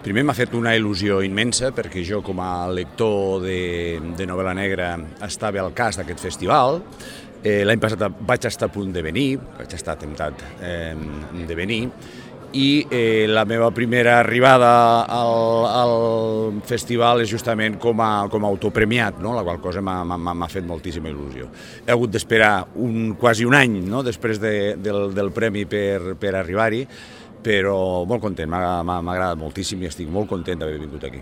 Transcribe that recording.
Primer m'ha fet una il·lusió immensa perquè jo com a lector de novel·la negra estava al cas d'aquest festival. L'any passat vaig estar a punt de venir, vaig estar temptat de venir, i la meva primera arribada al festival és justament com a autopremiat, no? La qual cosa m'ha fet moltíssima il·lusió. He hagut d'esperar quasi un any, no? Després del premi per arribar-hi, però molt content, m'ha agradat moltíssim i estic molt content d'haver vingut aquí.